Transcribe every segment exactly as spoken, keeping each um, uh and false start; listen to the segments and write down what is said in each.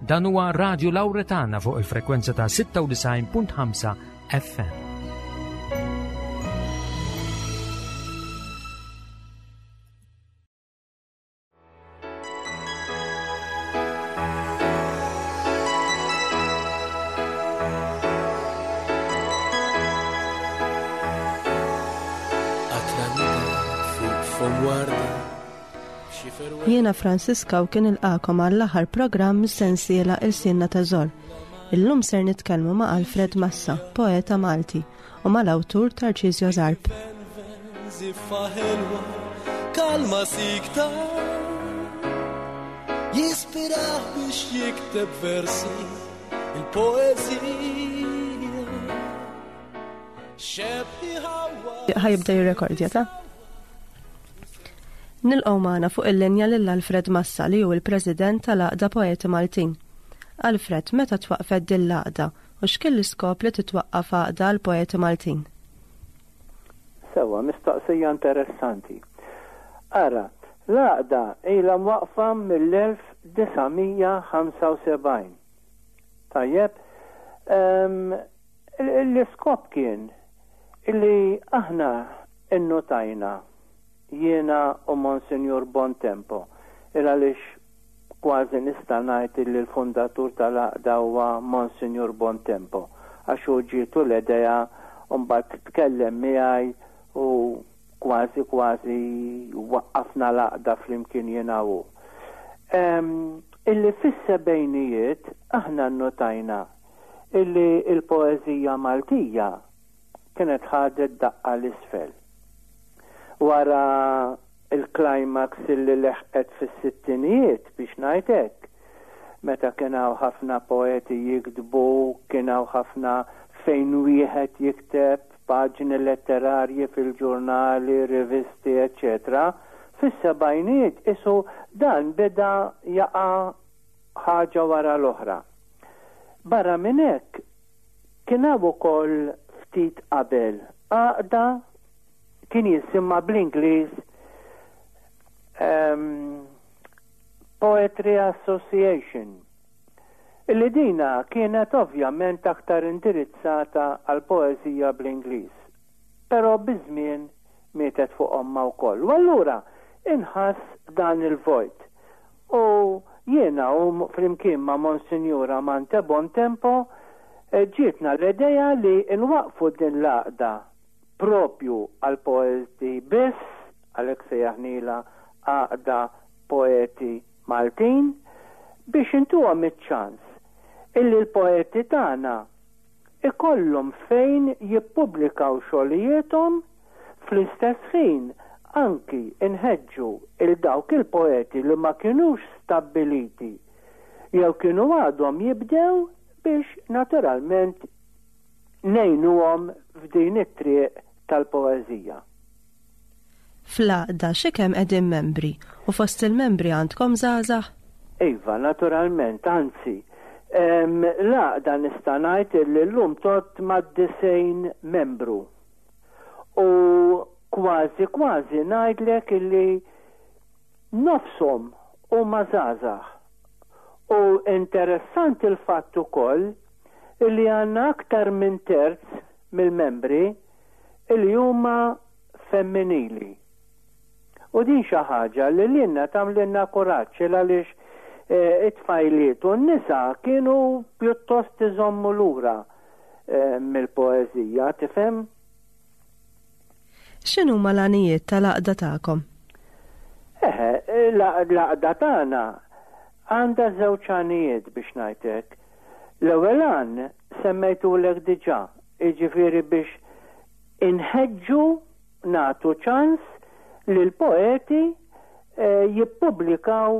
Dan huwa Radio Lauretana fuq il-frekwenza ta' sitta u disgħin punt ħamsa F M. Jiena Fransiska u kien nilqagħkom għall-aħħar programm mis-sensiela Ilsienna Teżor. Illum ser nitkellmu ma' Alfred Massa, poeta Malti, u mal-awtur Tarcisio Zarb. Ziffa ħelwa, kalma sikta, jispirah biex jikteb versi, il-poezija. Xebħi ħawa. Ħa jibda jirrekordja ta' Nilqgħu magħna fuq il-linja lil Alfred Massa, li hu il-President tal-Għaqda Poeti Maltin. Alfred, meta twaqfet din l-għaqda u x'kien l-iskop li titwaqqaf għaqda għal poeti Maltin? Sewa, mistoqsija interessanti. Ara, l-għaqda ilha mwaqfa mill-elf disa' mija ħamsa u sebgħin. Tajjeb, em, l-iskop kien illi aħna innotajna, jiena u Monsignor Bontempo, il għaliex kważi nista' ngħid illi l-fundatur tal-għaqda huwa Monsignor Bontempo, għax hu ġietu l-idea u mbagħad tkellem miegħi u kważi kważi waqqafna l-għaqda flimkien jiena u. Em, illi fis-sebgħinijiet aħna notajna illi il-poeżija Maltija kienet ħadet daqqa l-isfel. Wara il-climax illi leħqet fis-sittinijiet, biex ngħid hekk, meta kien hawn ħafna poeti jiktbu, kien hawn ħafna fejn wieħed jikteb paġni letterarji fil-ġurnali, rivisti, eccetera. Fis-sebgħinijiet isu dan beda jaqa' ħaġa wara l-oħra. Barra minn hekk kien hawn ukoll ftit qabel għaqda kien jisimha bl-Ingliż um, Poetry Association. Illi dina kienet ovvjament aktar indirizzata għal poezija bl-Ingliż. Però biż-żmien mietet fuq omma wkoll. U allura inħass dan il-vojt. U jiena u flimkien ma' Monsignor Amante Bontempo eh, ġietna l-idea li nwaqfu din l-għaqda propju għal poeti biss, għalhekk sejjaħnila Għaqda Poeti Maltin, biex intuhom iċ-ċans illi l-poeti tagħna ikollhom fejn jippubblikaw xogħlijiethom, fl-istess ħin anki inħeġġu il dawk il-poeti li ma kinux stabbiliti jew kienu għadhom jibdew biex naturalment ngħinuhom f'din it-triq tal-poeżija. Fl-għaqda xi kemm qegħdin membri u fost il-membri għandkom żgħażagħ? Iva, naturalment, anzi, em, l-għaqda nista' ngħid li llum tgħodd mad-disgħin membru. U kważi kważi ngħidlek illi nofshom huma żgħażagħ. U interessanti il-fatt ukoll illi għandna aktar minn terz mill-membri illi huma femminili. U din xi ħaġa li lilna tagħmlilna kuraġġ, għaliex eh, it-tfajliet u n-nisa kienu pjuttost iżommu lura eh, mill-poeżija, tifhem? X'inhuma l-għanijiet tal-għaqda tagħkom? Eħe, l-għaqda tagħna għandha żewġ għanijiet, biex ngħidlek. L-ewwel għan semmejtulek diġà, jiġifieri biex inħeġġu, nagħtu ċans li l-poeti eh, jippubblikaw,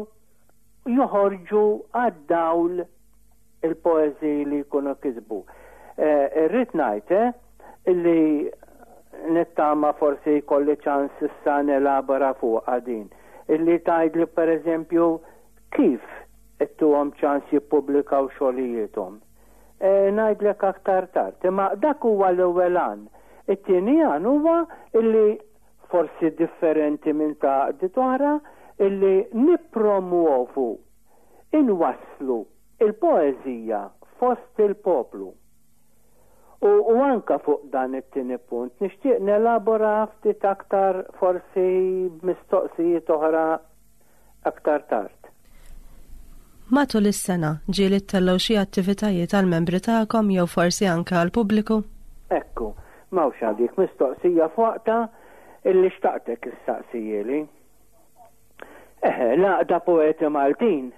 joħorġu għad-dawl il-poeżiji li jkunu kisbu. Eh, irrid ngħid eh, illi nittama forsi jkolli ċans issa nelabora fuq din. Illi tgħid li, per eżempju, kif ittuhom ċans jippubblikaw xogħlijiethom. E, ngħidlek aktar tard, imma dak huwa l-ewwel għan. It-tieni għan huwa illi forsi differenti minn ta' għaqdiet oħra, illi nippromuovu, inwasslu il-poeżija fost il-poplu. U, u anka fuq dan it-tieni punt nixtieq nelabora ftit aktar, forsi b'mistoqsijiet oħra aktar tard. Matul is-sena ġieli ttellgħu xi attivitajiet għal membri tagħkom jew forsi anke għall-pubbliku? Ekku, m'hawnx għadik mistoqsija f'waqtha illi xtaqtek issaqsihieli. Eħe, l-Għaqda Poeti Maltin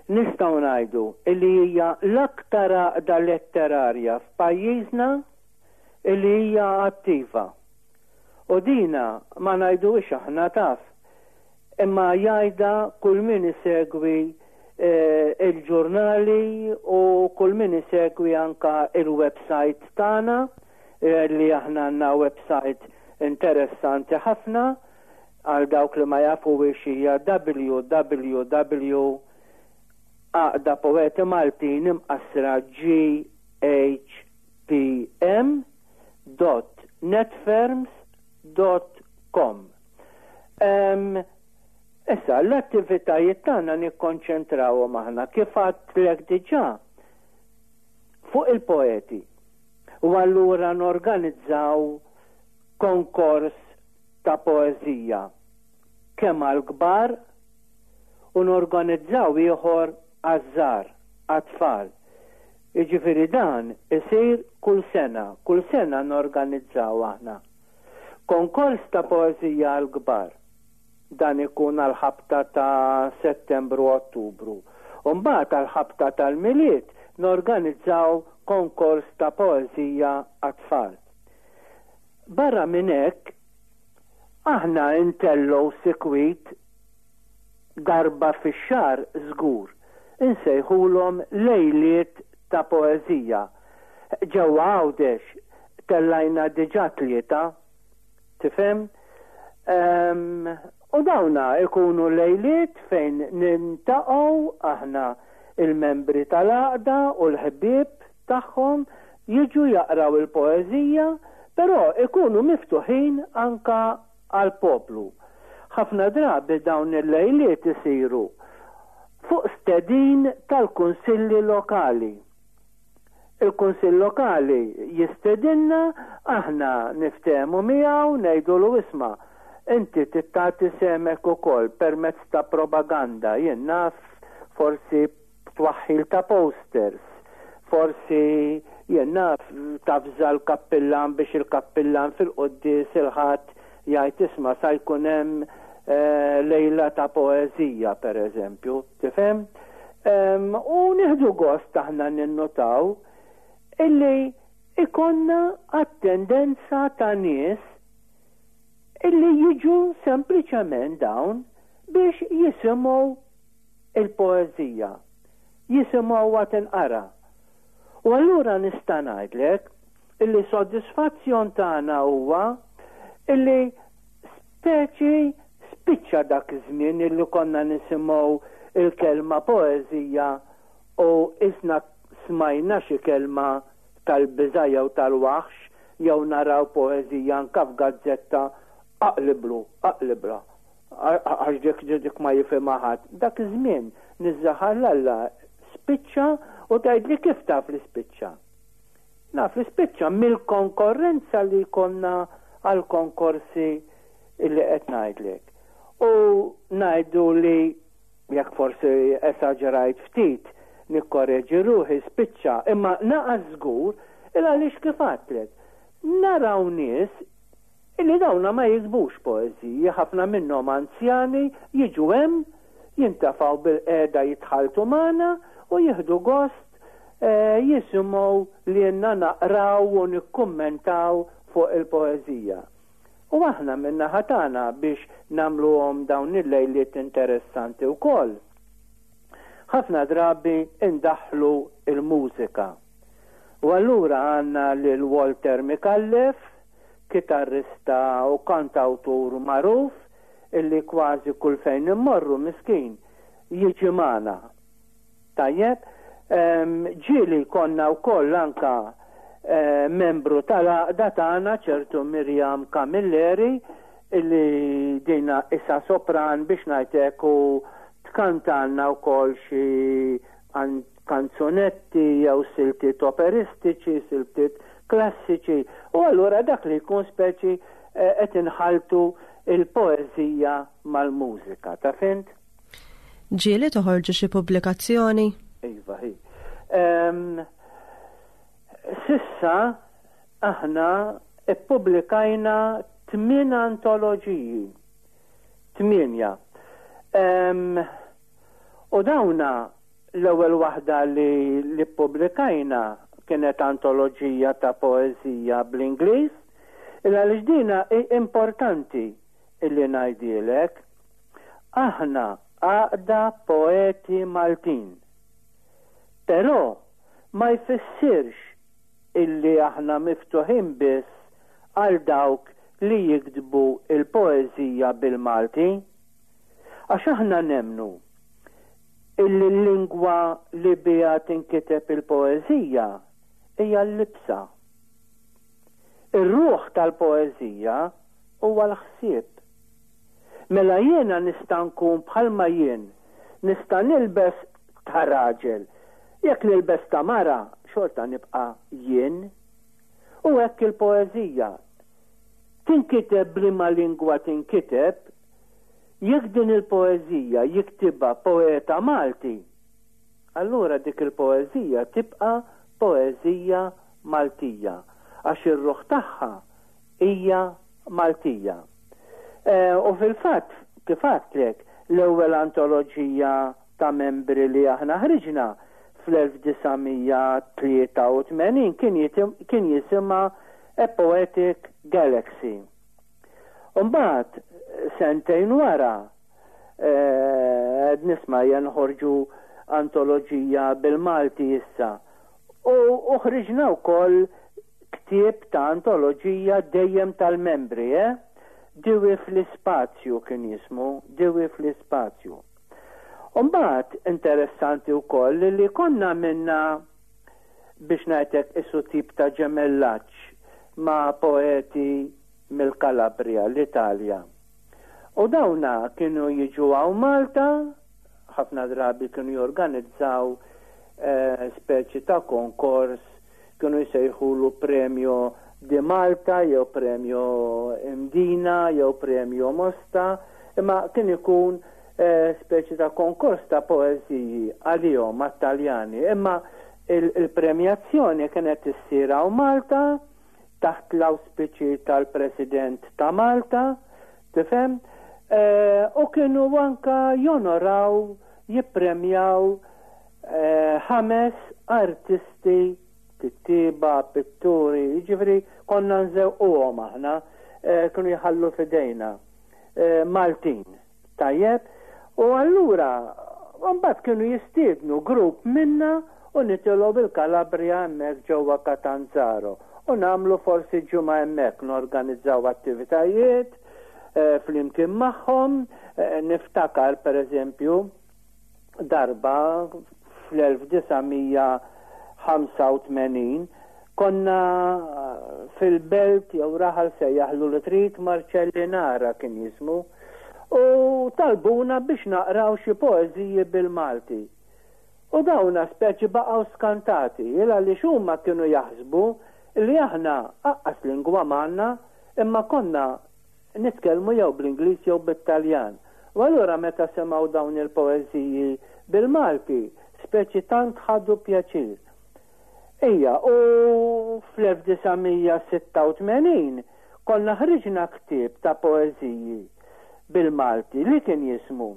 nistgħu ngħidu illi hija l-aktar għaqda letterarja f'pajjiżna illi hija attiva. U dina ma ngħiduhiex aħna, taf, imma jgħidha kull min isegwi eh, il-ġurnali u kull min isegwi anka il-website tagħna eh, li aħna għandna website interessanti ħafna. Għal dawk li ma jafu hija W W W Għaqda Poeti Maltin imqassra G H P M dot netfirms dot com. Um, issa, l-attivitajiet tagħna nikkonċentrawhom aħna, kif għedtlek diġà, fuq il-poeti. U allura norganizzaw konkors ta' poeżija kemm għal kbar u norganizzaw ieħor għaż-żgħar, għat-tfal. Jiġifieri dan isir kull sena, kull sena norganizzaw aħna konkors ta' poeżija għal kbar. Dan ikun għal-ħabta ta' Settembru, Ottubru. Umbagħad għal-ħabta tal-Milied norganizzaw konkors ta' poeżija għat-tfal. Barra minn hekk, aħna intellgħu sikwit darba fix-xahar żgur. Insejħulhom lejliet ta' poeżija. Ġewwa Għawdex tellajna diġà tlieta, tifhem? Um, u dawna ikunu lejliet fejn niltaqgħu aħna il-membri tal-għaqda u l-ħbieb tagħhom jiġu jaqraw il-poeżija, però ikunu miftuħin anka għal-poplu. Ħafna drabi dawn il-lejliet isiru fuq stedin tal-kunsilli lokali. Il-kunsill lokali jistedinna, aħna niftehmu miegħu, ngħidulu, "Isma', inti tagħti sehmek ukoll permezz ta' propaganda, jien naf, forsi twaħħil ta' posters, forsi, jien naf, tavża l-kappillan biex il-kappillan fil-quddies il-Ħadd jgħid, 'Isma', sa jkun hemm eh, lejla ta' poeżija', per eżempju, tifhem? U nieħdu gost aħna ninnotaw illi ikollna attendenza ta' nies illi jiġu sempliċement dawn biex jisimgħu il-poeżija, jisimgħu tinqara. U allura nista' ngħidlek illi soddisfazzjon tagħna huwa illi speċi spiċċa dak iż-żmien illi konna nisimgħu il-kelma poeżija u isna smajna xi kelma tal-biża' jew tal-waħx, jew naraw poeżija anka f'gazzetta, aqliblu, aqlibla, għax dik dik ma jifhimha ħadd. Dak iż-żmien, niżżaħar Alla, spiċċa. U tgħidli, "Kif taf li spiċċa?" Naf li spiċċa mill-konkorrenza li konna għal konkorsi illi qed ngħidlek. U ngħidu li jekk forsi esaġerajt ftit, nikkoreġi ruħi, spiċċa, imma naqas żgur, il għaliex, kif għedtlek, naraw nies illi dawna ma jiktbux poeżiji, ħafna minnhom anzjani, jiġu hemm, jintefgħu bilqiegħda, jitħalltu magħna u jieħdu gost eh, jisimgħu li jenna naqraw u nikkummentaw fuq il-poeżija. U aħna min-naħa tagħna, biex nagħmluhom dawn il-lejliet interessanti wkoll, ħafna drabi indaħlu il-mużika. U allura għandna lil Walter Micallef, kitarrista u kantawtur magħruf, illi kważi kull fejn immorru, miskin, jiġi magħna. Tajjeb, ġieli konna wkoll anka eh, membru tal-għaqda tagħna, ċertu Mirjam Camilleri, illi dina issa sopran biex ngħidlek u tkantalna wkoll xi Kanzunetti jew siltiet operistiċi, siltiet klassiċi, u allura dak li jkun speċi eh, qed inħaltu il-poeżija mal-mużika, ta' fint? Ġieli toħorġu xi pubblikazzjoni? Iva, hi. Um, s'issa aħna ippubblikajna tmien antoloġiji. Tmienja. Um, u dawna, l-ewwel waħda li li ppubblikajna kienet antoloġija ta' poeżija bl-Ingliż, illa li dina importanti illi ngħidilek, aħna Għaqda Poeti Maltin. Però ma jfissirx illi aħna miftuħin biss għal dawk li jiktbu il-poeżija bil-Malti. Għax aħna nemmnu illi l-lingwa li biha tinkiteb il-poeżija hija l-libsa. Ir-ruħ tal-poeżija huwa l-ħsieb. Mela jiena nista' nkun bħalma jien, nista' nilbes ta' raġel. Jekk nilbes ta' mara, xorta nibqa' jien. U hekk il-poeżija tinkiteb b'liema lingwa tinkiteb, jekk din il-poeżija jiktibha poeta Malti, allura dik il-poeżija tibqa' poeżija Maltija, għax ir-ruħ tagħha hija Maltija. Eh, u fil-fatt, kif għedtlek, l-ewwel antoloġija ta' membri li aħna ħriġna fl-elf disa' mija tlieta u tmenin kien kien jisimha A Poetic Galaxy. Umbagħad, sentejn wara, eh, qed nisma' noħorġu antoloġija bil-Malti issa. U ħriġna wkoll ktieb ta' antoloġija dejjem tal-membri, eh? Diwi fl-ispazju kien jismu, Diwi fl-ispazju. Umbagħad interessanti wkoll li konna minna, biex ngħidlek, isu tip ta' ġemellaġġ ma' poeti mill-Kalabria, l-Italja. U dawna kienu jiġu hawn Malta, ħafna drabi kienu jorganizzaw eh, speċi ta' konkors, kienu jsejħulu Premio di Malta, jew Premio Mdina, jew Premio Mosta, imma kien ikun eh, speċi ta' konkors ta' poeziji għalihom għat-Taljani, imma il-premjazzjoni kienet issir hawn Malta taħt l-auspiċi tal-President ta' Malta, tifhem? Eh, u kienu anka jonoraw, jippremjaw eh, ħames artisti, kittiba, pitturi, ġifieri konna nżewquhom aħna, eh, kienu jħallu fidejna Maltin, tajjeb, u allura mbagħad kienu jistiednu grupp minna u nitilgħu bil-Kalabria hemmhekk ġewwa Catanzaro u nagħmlu forsi ġimgħa hemmhekk, norganizzaw attivitajiet eh, flimkien magħhom. eh, niftakar per eżempju darba fl-elf disa' mija ħamsa u tmenin konna fil-belt jew raħal, sejjaħlu li trid, Marcellinara kien jismu, u talbuna biex naqraw xi poeżiji bil-Malti. U dawna speċi baqgħu skantati, illa li huma kienu jaħsbu li aħna aqqas lingwa m'għandna, imma konna nitkellmu jew bl-Ingliż jew bit-Taljan. U allura meta semgħu dawn il-poeżiji bil-Malti, speċi tant ħadu pjaċir. Ija, u fl-elf disa' mija sitta u tmenin konna ħriġna ktieb ta' poeżiji bil-Malti li kien jismu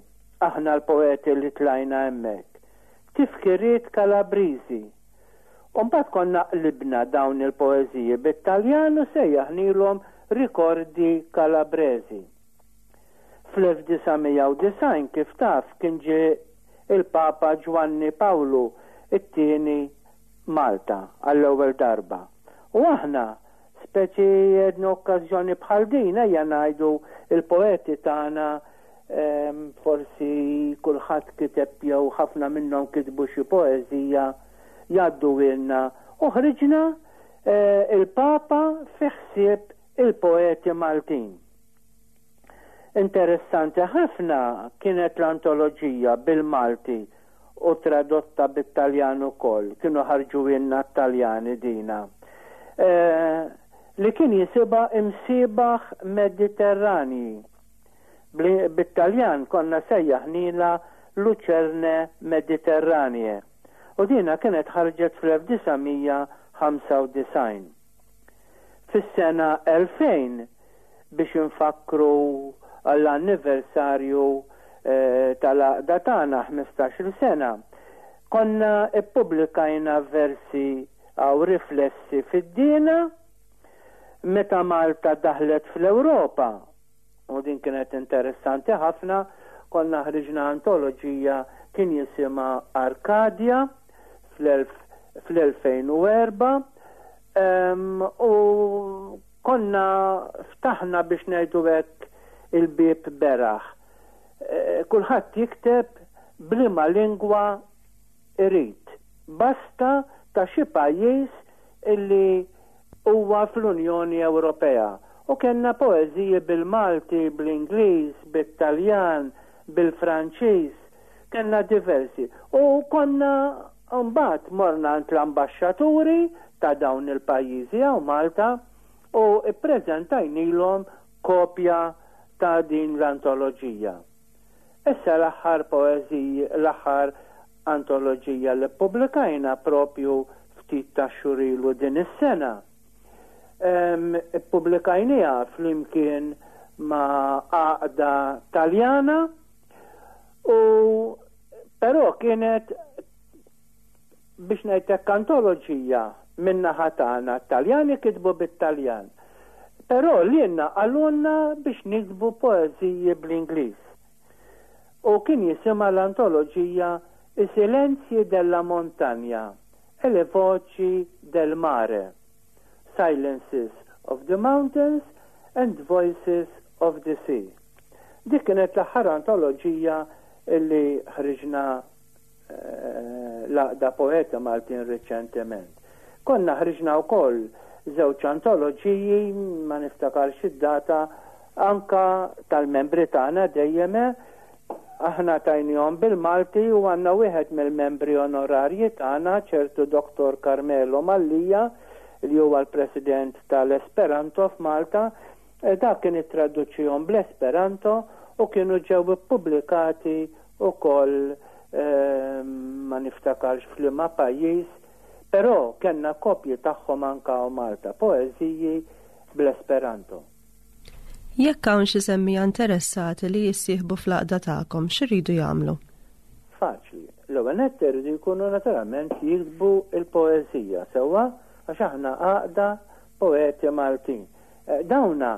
Aħna l-Poeti li Tlajna Hemmhekk. Tifkiriet Kalabriżi. Umbagħad konna qlibna dawn il-poeżiji bit-Taljan u sejjaħnilhom Ricordi Calabresi. Fl-elf disa' mija u disgħin, kif taf, kien ġie il-Papa Ġwanni Pawlu it-tieni Malta għall-ewwel darba. U aħna speċi għedna, okkażjoni bħal din, ejja ngħidu il-poeti tagħna, forsi kulħadd kiteb jew ħafna minnhom kitbu xi poeżija, jgħadduhielna, u ħriġna eh, Il-Papa fi ħsieb il-Poeti Maltin. Interessanti ħafna kienet l-antoloġija bil-Malti u tradotta bit-Taljan ukoll, kienu ħarġuhielna t-Taljani dina. Eh, li kien jisimha Imsiebaħ Mediterranji. Bit-Taljan konna sejjaħnielha Lucerne Mediterranee. U dina kienet ħarġet fl-elf disa' mija ħamsa u disgħin. Fis-sena elfejn, biex infakru għall-anniversarju, eh, tal-għaqda tagħna ħmistax-il sena, konna ippubblikajna versi għaw riflessi fid-dina meta Malta daħlet fl-Ewropa. U din kienet interessanti ħafna, konna ħriġna antoloġija kien jisimha Arkadia fl-elfejn u erba', em, u konna ftaħna biex ngħidu hekk il-bieb beraħ. Eh, kulħadd jikteb b'liema lingwa irid, basta ta' xi pajjiż illi huwa fl-Unjoni Ewropea. U kellna poeżiji bil-Malti, bl-Ingliż, bit-Taljan, bil-Franċiż, kellna diversi. U konna mbagħad morna għand l-ambaxxaturi ta' dawn il-pajjiżi hawn Malta u ppreżentajnilhom kopja ta' din l-antoloġija. Issa l-aħħar poeżiji, l-aħħar antoloġija li ppubblikajna propju ftit ta' xhur ilu din is-sena. Em, ippubblikajniha flimkien ma' għaqda Taljana, u però kienet biex ngħidlek antoloġija min-naħa tagħna, Taljani kitbu bit-Taljan. Però lilna qalulna biex niktbu poeżiji bl-Ingliż. U kien jisimha l-antoloġija I silenzi della montagna e le voci del mare, Silences of the Mountains and Voices of the Sea. Dik kienet l-aħħar antoloġija illi ħriġna, eh, l-għaqda poeta Maltin riċentement. Konna ħriġna wkoll żewġ antoloġiji, ma niftakarx id-data, anka tal-membri tagħna dejjem, aħna tajnihom bil-Malti u għandna wieħed mill-membri onorarji tagħna, ċertu Doktor Carmelo Mallia, li huwa l-President tal-Esperanto f'Malta, e dak kien ittraduċihom bl-Esperanto u kienu ġew ippubblikati wkoll, ehm, ma niftakarx f'liema pajjiż, però kellna kopji tagħhom anka hawn Malta, poeżiji bl-Esperanto. Jekk hawn xi semmija interessati li jissieħbu fl-għaqda tagħkom, x'iridu jagħmlu? Faċli. L-ewwel nett iridu jkunu naturalment jiktbu il-poeżija sewwa, għax aħna għaqda poeti Maltin. Eh, dawna,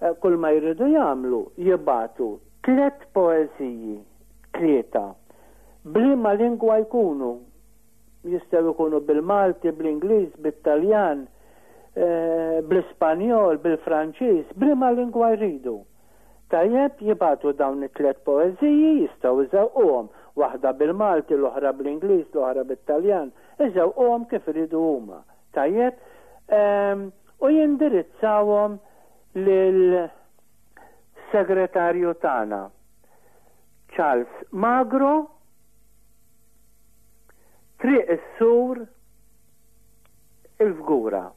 eh, kull ma jridu jagħmlu jibagħtu tliet poeżiji, tlieta, b'liema lingwa jkunu. Jistgħu jkunu bil-Malti, bl-Ingliż, bit-Taljan, eh, bl-Ispanjol, bil-Franċiż, b'liema lingwa jridu. Tajjeb, jibagħtu dawn it-tliet poeżiji, jistgħu iżewquhom, waħda bil-Malti, l-oħra bl-Ingliż, l-oħra bit-Taljan, iżewquhom kif iridu huma. Tajjeb, ehm, u jindirizzawhom lil segretarju tagħna, Charles Magro, Triq is-Sur, il-Fgura.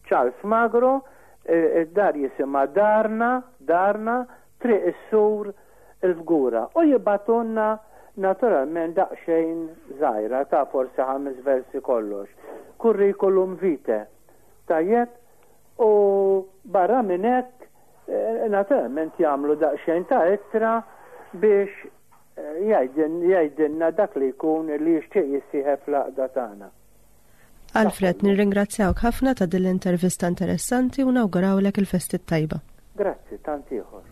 Charles Magro, eh, id-dar jisimha Darna, Darna, Triq is-Sur, il-Fgura. U jibatunna naturalment daqsxejn żgħira ta' forsi ħames versi kollox. Curriculum vitae. Tajjeb, u barra minn hekk, eh, naturalment jagħmlu daqsxejn ta' ittra biex, eh, jgħidin-, jgħidilna dak li jkun li jixtieq jissieħeb fl-għaqda tagħna. Alfred, nirringrazzjawk ħafna ta' din l-intervista interessanti u nawgurawlek il-festi tajba. Grazzi, tant ieħor.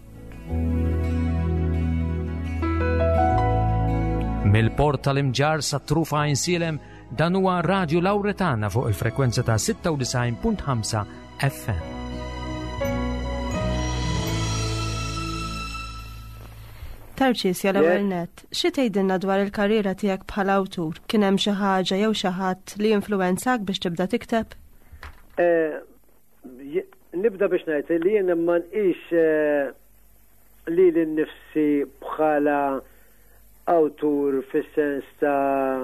Mill-port tal-Imġarr sa trufa Għajnsielem, dan huwa Radio Lauretana fuq il-frekwenza ta' sitta u disgħin punt ħamsa F M. Tarċisja, l-ewwel Yes. nett, xi tgħidilna dwar il-karriera tiegħek bħala awtur? Kien hemm xi ħaġa jew xi ħadd li influwenzak biex tibda tikteb? Eh, j-, nibda biex ngħid li jien ma nqis, eh, lili nnifsi bħala awtur fis-sens ta'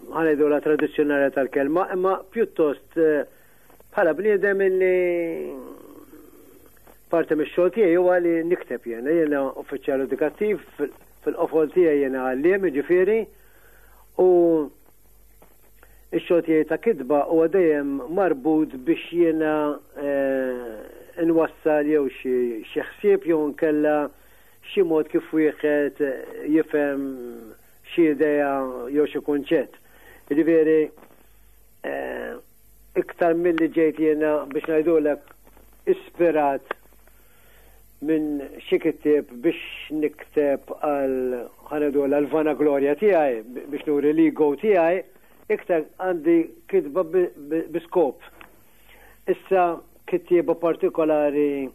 ħa ngħidu la tradizzjonali tal-kelma, imma pjuttost eh, bħala bniedem illi parti mix-xogħol tiegħi huwa li nikteb jiena, jiena uffiċjal edukattiv, fil-qofol tiegħi jiena għalliem, jiġifieri, u ix-xogħol tiegħi ta' kitba huwa dejjem marbut biex jiena eh, nwassal jew xi ħsieb jew nkella xi mod kif wieħed jifhem xi idea jew xi kunċett. Jiġifieri eh, iktar milli ġejt jiena, biex ngħidulek, ispirat minn xi kittieb biex nikteb għal, ħa ngħidu, għal vanaglorja tiegħi, biex nuri l-ego tiegħi, iktar għandi kitba bi skop. Issa, kittieba partikolari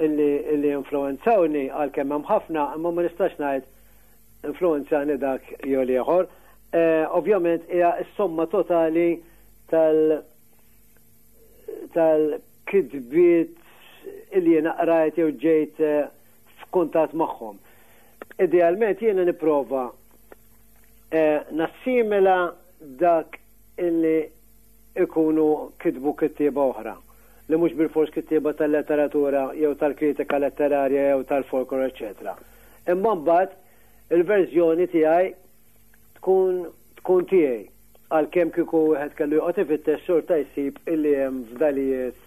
illi, illi influenzawni, għal kemm hemm ħafna, imma ma nistax ngħid influenzani dak jew ieħor. Eh, ovvjament hija s-somma totali tal tal-kitbiet illi jiena qrajt jew ġejt eh, f'kuntatt magħhom. Idealment jiena nipprova eh, nassimila dak illi ikunu kitbu kittieba oħra li mhux bil-fors kittieba tal-letteratura jew tal-kritika letterarja jew tal-folklor, eċetera. Imma mbagħad il-verżjoni tiegħi tkun tkun tiegħi, għalkemm kieku wieħed kellu joqgħod ifittex xorta jsib illi hemm fdalijiet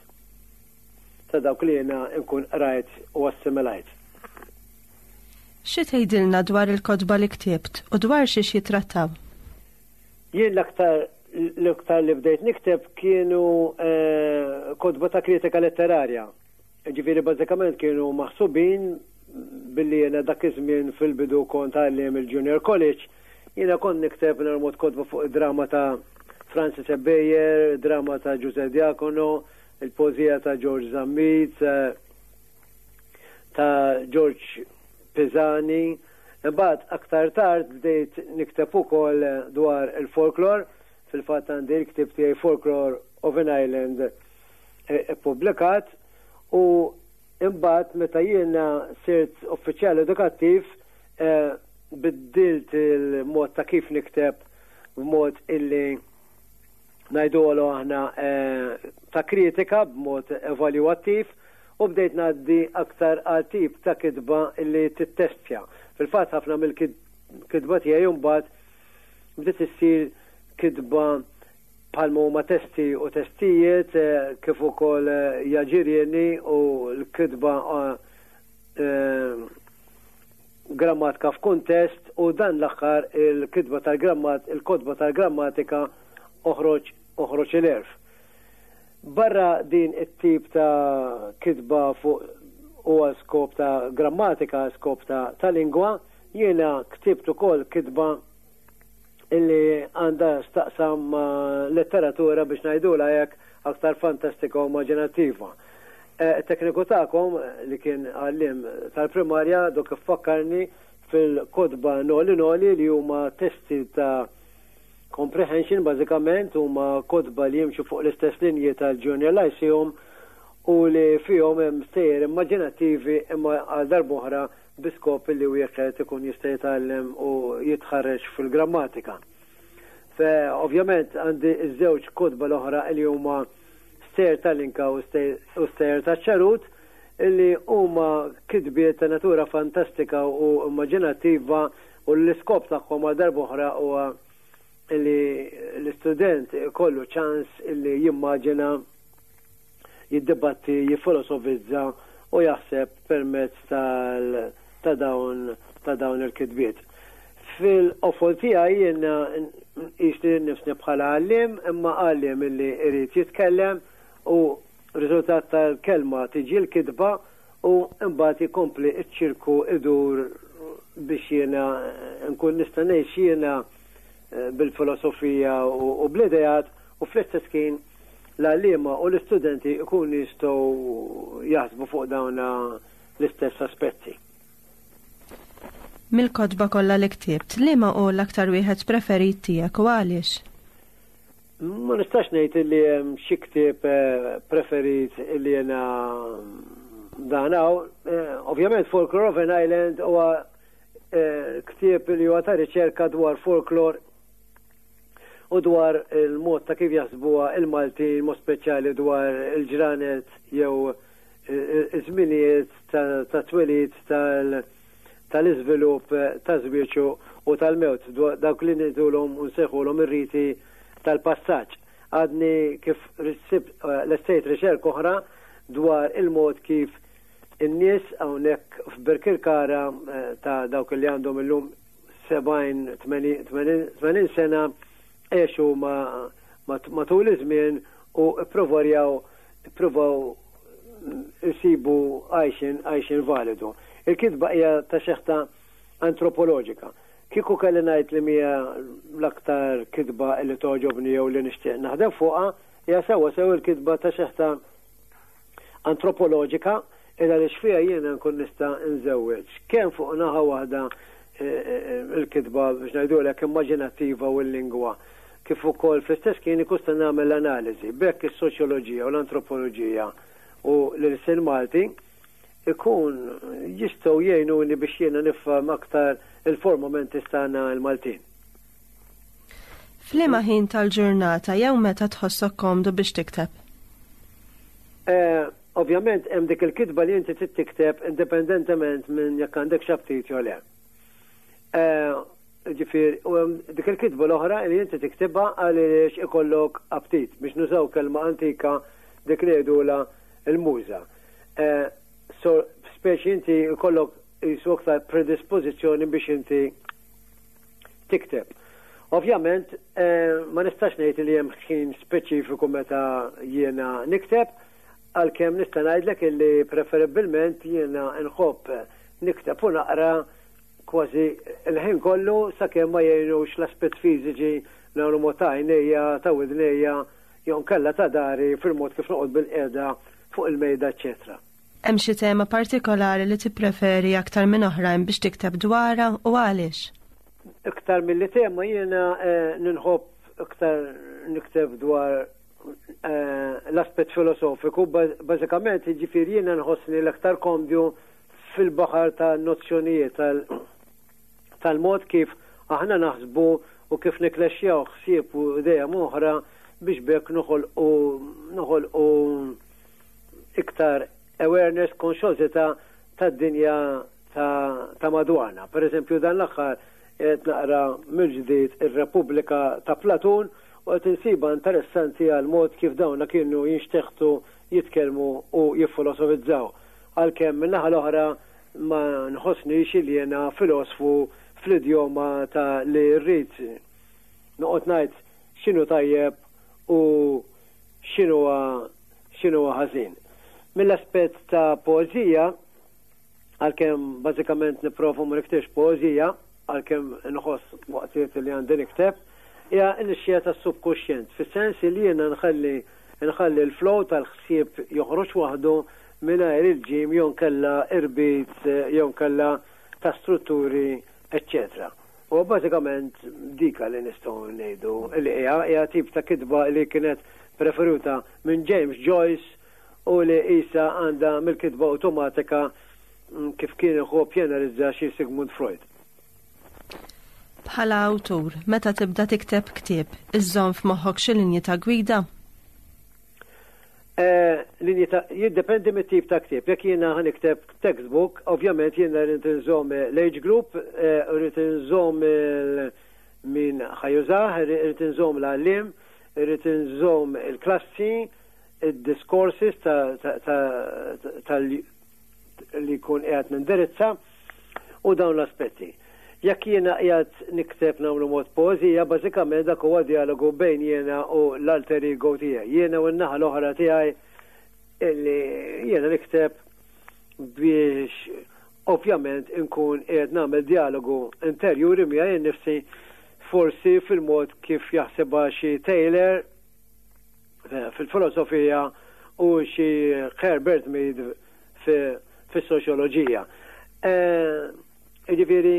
ta' dawk li jiena nkun qrajt u assimilajt. Xi tgħidilna dwar il-kotba li ktibt u dwar xiex jitrattaw? Jien l-aktar l-aktar li bdejt nikteb kienu eh, kotba ta' kritika letterarja. Ġifieri bażikament kienu maħsubin billi jiena dak iż-żmien fil-bidu kont għalliem il-Junior College, jiena kont nikteb normalt kotba fuq drama ta' Francis Ebejer, drama ta' Giuseppe Diacono, il-poezija ta' George Zammit, eh, ta' George Pisani. Imbagħad aktar tard bdejt nikteb ukoll dwar il-folklor, fil-fatt għandi l-ktib tiegħi Folklore of an Island eh, ippubblikat, u imbagħad meta jiena sirt uffiċjal edukattiv eh, biddilt il-mod ta' kif nikteb b'mod illi ngħidulu aħna eh, ta' kritika b'mod evalwattiv u bdejt ngħaddi aktar għal tip ta' kitba illi tittestja. Fil-fatt ħafna mill-kitba tiegħi mbagħad bdiet issir kitba bħalma huma testi u testijiet eh, kif ukoll eh, jaġirjeni u l-kitba eh, grammatika f'kuntest u dan l-aħħar il-kitba tal-grammat il-kotba tal-grammatika Oħroġ Oħroġ il-Għerf. Barra din it-tip ta' kitba fuq u skop ta' grammatika, skop ta', ta lingwa, jiena ktibt ukoll kitba illi għandha x'taqsam letteratura, biex ngħidula hekk, aktar fantastika u immaġinattiva. E, tekniku tagħkom li kien għalliem tal-primarja dok fakkarni fil-kotba Noli Noli, li huma testi ta' comprehension, bażikament huma kotba li jimxu fuq l-istess linji tal-Junior Lyceum u li fihom hemm stejjer immaġinattivi, imma għal darb'oħra bi skop li wieħed ikun jista' jitgħallem u jitħarreġ fil-grammatika. Fe ovvjament għandi iż-żewġ kotba l-oħra li huma Stejjer tal-Inka u Stejjer taċ-Ċarut, illi huma kitbiet ta' natura fantastika u immaġinattiva u l-iskop tagħhom għal darb'oħra huwa illi l-istudent kollu ċans illi jimmaġina, jiddibatti, jifilosofizza u jaħseb permezz tal ta' dawn ta' dawn il-kitbiet. Fil-qofol tiegħi jiena nqis lili nnifsi bħala għalliem, imma għalliem illi irid jitkellem, u riżultat tal-kelma tiġi l-kitba u mbagħad jkompli ċ-ċirku idur biex jiena nkun nista' ngħix jiena eh, bil-filosofija u bl-idejat u fl-istess kien l-għalliema u l-istudenti ikunu jistgħu jaħsbu fuq dawn l-istess aspetti. Mill-kotba kollha li ktibt, liema hu l-aktar wieħed preferit tiegħek u għaliex? Ma nistax ngħid li hemm xi ktieb eh, preferit li jiena dan hawn. Eh, ovvjament Folklore of an Island huwa ktieb li huwa ta' riċerka dwar folklor u dwar il-mod ta' kif jaħsbuha il-Maltin, mod speċjali dwar il-ġranet jew iż-żminijiet ta' twelid, tal-iżvilupp, ta' żwieġ u tal-mewt, dawk li ngħidulhom u nsejħulhom ir-riti tal-passaġġ. Għadni kif lestejt riċerka oħra dwar il-mod kif in-nies hawnhekk f'Birkirkara ta' dawk li għandhom illum sebgħin, tmenin sena għexu matul iż-żmien u ppruvaw ippruvaw isibu għajxin għajxin validu. Il-kitba hija ta' xeħta antropoloġika. Kieku kelli ngħid li mija l-aktar kitba li togħġobni jew li nixtieq naħdem fuqha, hija sewwa sew il-kitba ta' xeħta antropoloġika, illa li xfija jiena nkun nista' nżewweġ kemm fuq naħa waħda il-kitba biex ngħidulek immaġinattiva u l-lingwa, kif ukoll fl-istess kien ikun nagħmel analiżi bekk is-soċjoloġija u l-antropoloġija u l-ilsien Malti ikun jistgħu jgħinuni biex jiena nifhem aktar il-formamenti tagħna l-Maltin. F'liema ħin tal-ġurnata jew meta tħossok komdu biex tikteb? Ovvjament hemm dik il-kitba li inti trid tikteb indipendentement minn jekk għandek x'aptit jew le. Ġifier, u hemm dik il-kitba l-oħra li inti tiktibha għaliex ikollok aptit, biex nużaw kelma antika dik li jgħidulha il-muża. So, speċi inti ikollok jisu aktar predispożizzjoni biex inti tikteb. Ovvjament, ma nistax ngħid li hemm ħin speċifiku meta jiena nikteb, għalkemm nista' ngħidlek illi preferibilment jiena nħobb nikteb u naqra kważi il-ħin kollu sakemm ma jgħinux l-aspett fiżiċi nagħmlu mod ta' għajnejja, ta' widnejja, jew nkella ta' dari fil-mod kif noqgħod bil-qiegħda fuq il-mejda, eċċetera. Hemm xi tema partikolari li tippreferi aktar minn oħrajn biex tikteb dwarha u għaliex? Iktar milli tema jiena ninħobb iktar nikteb dwar l-aspett filosofiku, bażikament jiġifieri jiena nħossni l-aktar komdu fil-baħar ta' nozzjonijiet tal-mod kif aħna naħsbu u kif niklexxjaw ħsieb u idea oħra biex bekk noħolqu noħolqu iktar awareness, konxjożità tad-dinja ta' madwarna. Per eżempju, dan l-aħħar qed naqra mill-ġdid ir-Repubblika ta' Platun u qed insiba interessanti għal mod kif dawna kienu jinxteħtu, jitkellmu u jiffilosofizzaw. Għalkemm min-naħa l-oħra ma nħossnix li jiena filosfu fl-idjoma ta' li rrid noqgħod ngħid x'inhu tajjeb u x'inhu x'inhu ħażin. Mill-aspett ta' poeżija, għalkemm bażikament nipprova ma niktibx poeżija, għalkemm nħoss waqtiet li għandi nikteb, hija l-xija tas-subkuxjent, fis-sens li jiena nħalli nħalli l-flow tal-ħsieb joħroġ waħdu mingħajr il-ġim jew nkella irbit jew nkella ta' strutturi, eċċetera. U bażikament dika li nistgħu ngħidu li hija hija tip ta' kitba li kienet preferuta minn James Joyce u li isa għandha mill-kitba awtomatika kif kien iħobb jenalizza xi Sigmund Freud. Bħala awtur, meta tibda tikteb ktieb, iżżomm f'moħħok xi linji ta' gwida? Linji ta' jiddependi mit-tip ta' ktieb. Jekk jiena ħa nikteb textbook, ovvjament jiena rrid inżomm l-age group, rrid inżomm min ħa jużah, rrid inżomm l-għalliem, rrid inżomm il-klassi, id-discourses tal li jkun qiegħed nindirizza u dawn l-aspetti. Jekk jiena qiegħed nikteb nagħmlu mod poeżija, bażikament dak huwa dialogu bejn jiena u l-alter ego tiegħi. Jiena u n-naħa l-oħra tiegħi illi jiena nikteb biex ovvjament inkun qiegħed nagħmel dialogu interjuri miegħi nnifsi, forsi fil-mod kif jaħsebha xi Taylor fil-filosofija u xi Herbert Mead fis-soċjoloġija. Ġifieri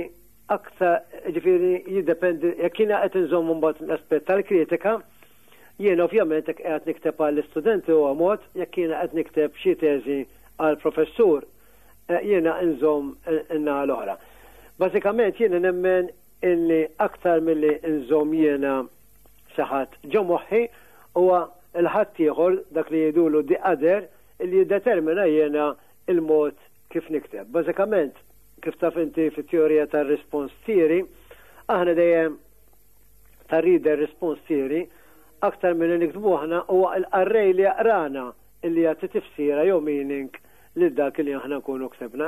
aktar, ġifieri jiddependi, jekk jiena qed inżomm mbagħad l-aspett tal-kritika, jien ovvjament jekk qed nikteb għall-istudenti huwa mod, jekk jiena qed nikteb xi teżi għall-professur, jiena nżomm in-naħa l-oħra. Bażikament jiena nemmen illi aktar milli nżomm jiena xi ħadd ġo moħħi huwa l-ħadd ieħor, dak li jgħidulu the other, illi jiddetermina jiena il-mod kif nikteb. Bażikament, kif taf inti fit-teorija tar-response theory, aħna dejjem ta' reader response theory, aktar milli niktbu aħna, huwa l-qarrej li jaqrana illi jagħti tifsira jew meaning lil dak li aħna nkunu ktebna.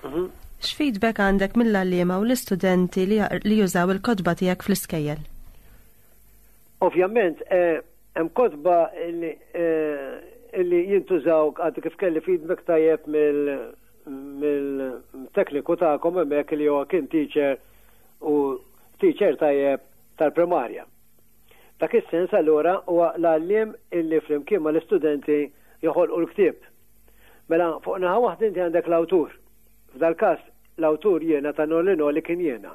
Mhm. X'feedback għandek mill-għalliema u l-istudenti li, li jużaw il-kotba tiegħek fl-iskejjel? Ovvjament, eh, hemm kotba li eh, illi jintużaw, għadu kif kelli feedback tajjeb mill-tekniku tagħkom hemmhekk li huwa kien teacher u teacher tajjeb tal-primarja. Dak is-sens allura huwa l-għalliem illi flimkien mal-istudenti joħolqu l-ktieb. Mela fuq naħa waħda inti għandek l-awtur. F'dal-każ l-awtur jiena ta' Noli Noli kien jiena.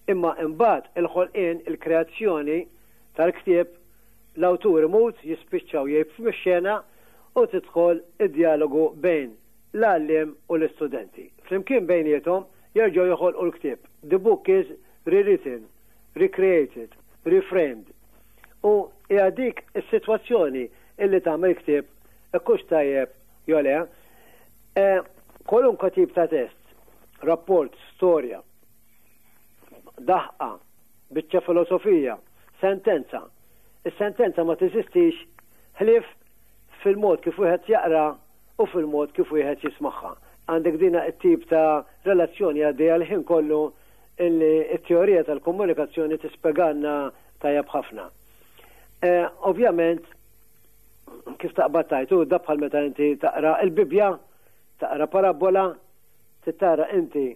Imma imbagħad il-ħolqien, il-kreazzjoni tal-ktieb, l-awtur imut, jispiċċaw jgħib mix-xena u tidħol id-dialogu bejn l-għalliem u l-istudenti. Flimkien bejniethom jerġgħu joħolqu l-ktieb. The book is rewritten, recreated, reframed. U hija dik is-sitwazzjoni illi tagħmel ktieb ikkux tajjeb jew le. E, kwalunkwe tip ta' test, rapport, storja, daħqa, biċċa filosofija, sentenza. Is-sentenza ma teżistix ħlief fil-mod kif wieħed jaqra u fil-mod kif wieħed jismagħha. Għandek dina it-tip ta' relazzjoni għaddejja l-ħin kollu illi it-teorija tal-komunikazzjoni tispjegalna tajjeb ħafna. E, ovvjament, kif taqbad tajtu, da bħal meta inti taqra il-Bibja, taqra parabola, tara inti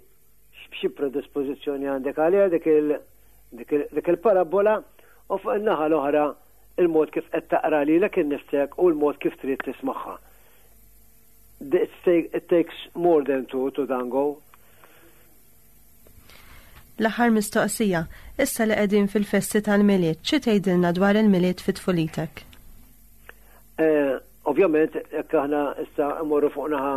xi predispożizzjoni għandek għaliha dik il- dik il- dik il-parabola u fuq in-naħa l-oħra il-mod kif qed taqra lilek innifsek u l-mod kif trid tismagħha. It takes more than two to tango. L-aħħar mistoqsija, issa li qegħdin fil-festi tal-Milied, xi tgħidilna dwar il-Milied fit tfulitek? Eh, ovvjament, jekk aħna issa mmorru fuq naħa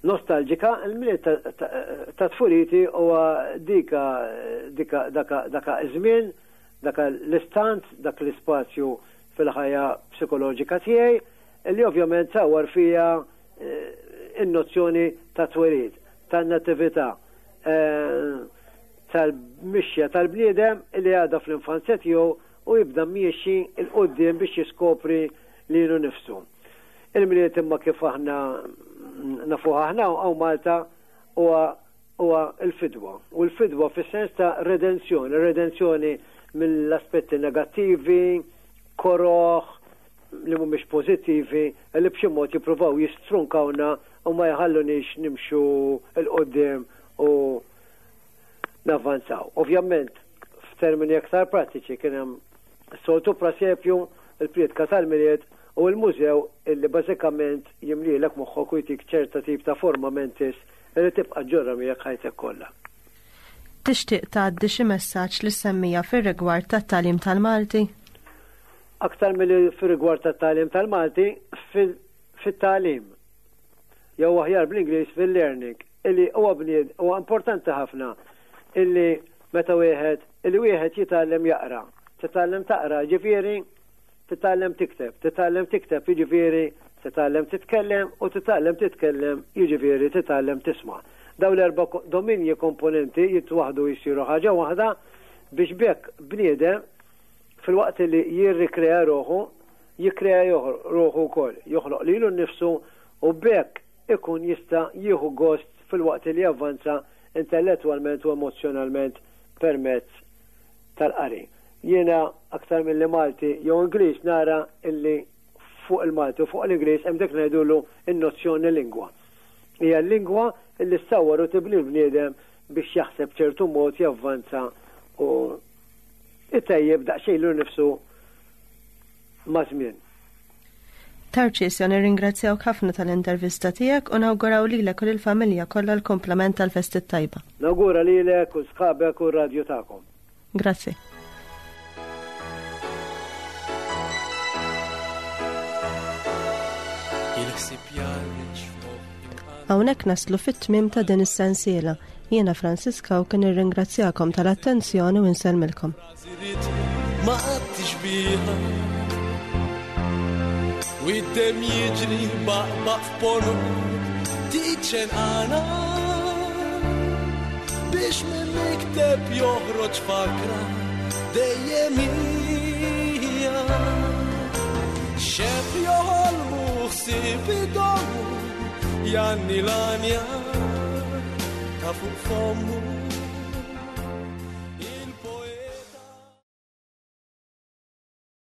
nostalġika, il-Milied ta' tfuliti huwa dika dika daka daka żmien, daka l-istant, dak l-ispazju fil-ħajja psikoloġika tiegħi, li ovvjament sawar fija eh, in-nozzjoni ta' twelid, ta' natività, eh, tal-mixja tal-bniedem li għadha fl-infanzja tiegħu u jibda miexi 'l quddiem biex jiskopri lilu nifsu. Il-Milied imma kif aħna nafuha aħna hawn Malta huwa huwa l-fidwa. U l-fidwa fis-sens ta' redenzjoni, redenzjoni mill-aspetti negattivi, koroħ, li mhumiex pożittivi, li b'xi mod jippruvaw jistrunkawna u ma jħallunix nimxu 'l quddiem u navvanzaw. Ovvjament, f'termini aktar prattiċi kien hemm soltu prasepju, il-prietka tal-Milied u l-mużew illi bażikament jimlilek moħħok u jtik ċerta tip ta' forma mentis li tibqa' ġorra miegħek ħajtek kollha. Tixtieq tgħaddi xi messaġġ lis-semmiegħa fir-rigward tat-tagħlim tal-Malti? Aktar milli fir-rigward tat-tagħlim tal-Malti, fit-tagħlim jew aħjar bl-Ingliż fil-learning, illi huwa bnied huwa importanti ħafna illi meta wieħed illi wieħed jitgħallem jaqra. Titgħallem taqra, ġifieri titgħallem tikteb, titgħallem tikteb, jiġifieri titgħallem titkellem u titgħallem titkellem, jiġifieri titgħallem tisma'. Dawn l-erba' dominji komponenti jitwaħdu jsiru ħaġa waħda biex bekk bniedem fil-waqt li jirrikrea ruħu, jikrea ruħu wkoll, joħloq lilu nnifsu u bekk ikun jista' jieħu gost fil-waqt li javvanza intellettwalment u emozjonalment permezz tal-qari. Jiena aktar mill Malti jew Ingliż nara illi fuq il-Malti u fuq l-Ingliż hemm dik ngħidulu in-nozzjoni lingwa. Hija l-lingwa illi ssawwar u tibni l-bniedem biex jaħseb ċertu mod, javvanza u itejjeb daqsxejn lilu nnifsu ma' żmien. Tarċisio, nirringrazzjawk ħafna tal-intervista tiegħek u nawguraw lilek u lill-familja kollha l-kumplament tal-festi tajba. Nawgura lilek u sħabek u r-radju tagħkom. Grazzi. Il-ħsieb jarriġ f'moħħi. Hawnhekk naslu fit-tmiem ta' din is-sensiela. Jiena Fransiska u kien irringrazzjakom tal-attenzjoni u nsellmilkom. Ma tixbiha U id-dem jiġri baqbaq f'ponot tiċen għana biex minn mikteb joħroġ fakra dejjem hija. Xeb joħolmu ħsieb idommu janni l-anja ta' fuq fommu.